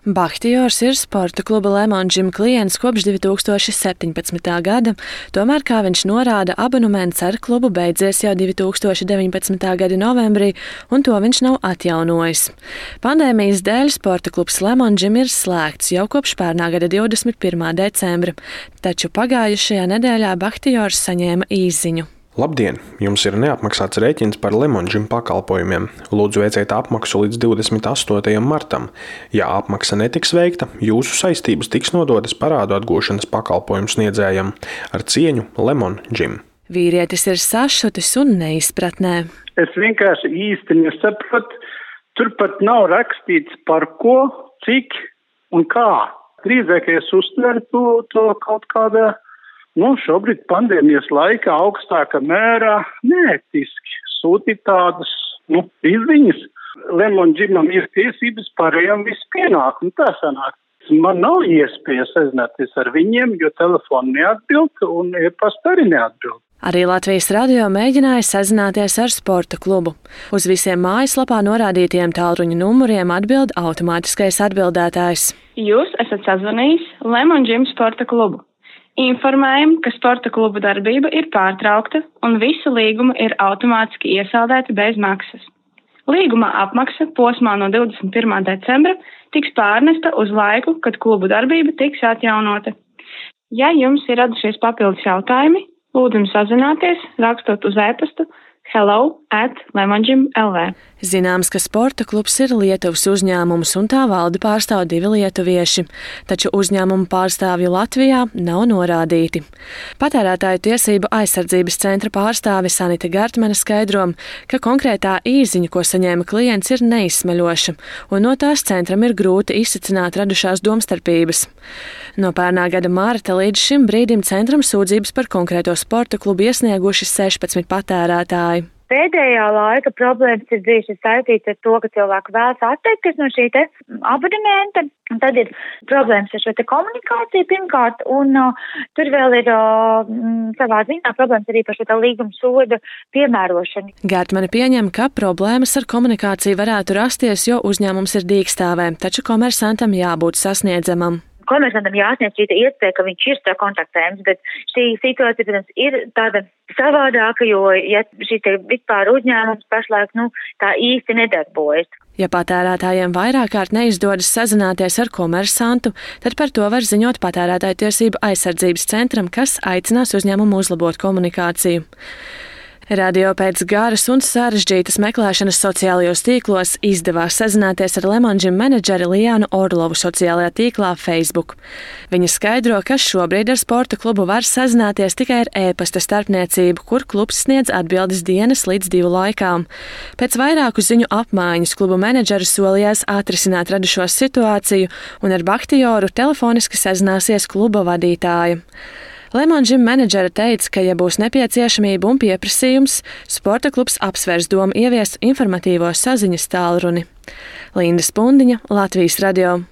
Bahtijors ir sporta kluba Lemon Gym klients kopš 2017. gada, tomēr, kā viņš norāda, abonements ar klubu beidzies jau 2019. gada novembrī, un to viņš nav atjaunojis. Pandēmijas dēļ sporta klubs Lemon Gym ir slēgts jau kopš pērnā gada 21. decembra, taču pagājušajā nedēļā Bahtijors saņēma īsziņu. Labdien! Jums ir neapmaksāts rēķins par Lemon Gym pakalpojumiem. Lūdzu, veiciet apmaksu līdz 28. martam. Ja apmaksa netiks veikta, jūsu saistības tiks nodotas parādu atgūšanas pakalpojumu sniedzējam. Ar cieņu, Lemon Gym. Vīrietis ir sašutis un neizpratnē. Es vienkārši īsti nesapratu. Tur pat nav rakstīts par ko, cik un kā. Drīzāk es uztveru to kaut kādā šobrīd pandēmijas laikā augstākā mērā neētiski sūtīt tādas izziņas. Lemon Gymam ir tiesības pārējām visu pienāk, un tā sanāk. Man nav iespēja sazināties ar viņiem, jo telefonu neatbild un e-pasta arī neatbild. Arī Latvijas radio mēģināja sazināties ar sporta klubu. Uz visiem mājaslapā norādītiem tālruņa numuriem atbild automātiskais atbildētājs. Jūs esat sazvanījis Lemon Gym sporta klubu. Informējam, ka sporta kluba darbība ir pārtraukta un visa līguma ir automātiski iesaldēta bez maksas. Līguma apmaksa posmā no 21. decembra tiks pārnesta uz laiku, kad klubu darbība tiks atjaunota. Ja jums ir radušies papildus jautājumi, lūdzam sazināties, rakstot uz e-pastu hello@lemongym.lv. Zināms, ka sporta klubs ir Lietuvas uzņēmums un tā valdi pārstāv 2 lietuvieši, taču uzņēmumu pārstāvju Latvijā nav norādīti. Patērētāju tiesību aizsardzības centra pārstāve Sanita Gartmane skaidro, ka konkrētā īsziņa, ko saņēma klients, ir neizsmeļoša, un no tās centram ir grūti izsacināt radušās domstarpības. No pērnā gada marta līdz šim brīdim centram sūdzības par konkrēto sporta klubu iesnieguši 16 patērētāji. Pēdējā laika problēmas ir bijušas saistītas ar to, ka cilvēki vēlas atteikties no šī abonementa. Tad ir problēmas ar šo komunikāciju pirmkārt, un tur vēl ir savā ziņā problēmas arī par šo līguma soda piemērošanu. Gartmane pieņem, ka problēmas ar komunikāciju varētu rasties, jo uzņēmums ir dīkstāvē, taču komersantam jābūt sasniedzamam. Komersantam jāsniedz šī iespēja, ka viņš ir sakontaktējams, bet šī situācija, protams, ir tāda savādāka, jo ja šis vispār uzņēmums pašlaik tā īsti nedarbojas. Ja patērētājiem vairāk kārt neizdodas sazināties ar komersantu, tad par to var ziņot patērētāju tiesību aizsardzības centram, kas aicinās uzņēmumu uzlabot komunikāciju. Radio pēc garas un sarežģītas meklēšanas sociālajos tīklos izdevās sazināties ar Lemon Gym menedžeri Lijānu Orlovu sociālajā tīklā Facebook. Viņa skaidro, ka šobrīd ar sporta klubu var sazināties tikai ar e-pasta starpniecību, kur klubs sniedz atbildes dienas līdz 2 laikām. Pēc vairāku ziņu apmaiņas klubu menedžeri solījās atrisināt radušo situāciju un ar Bahtijoru telefoniski sazināsies kluba vadītāja. Lemon Gym menedžere teica, ka, ja būs nepieciešamība un pieprasījums, sporta klubs apsvērs domu ieviest informatīvo saziņas tālruni. Linda Spundiņa, Latvijas radio.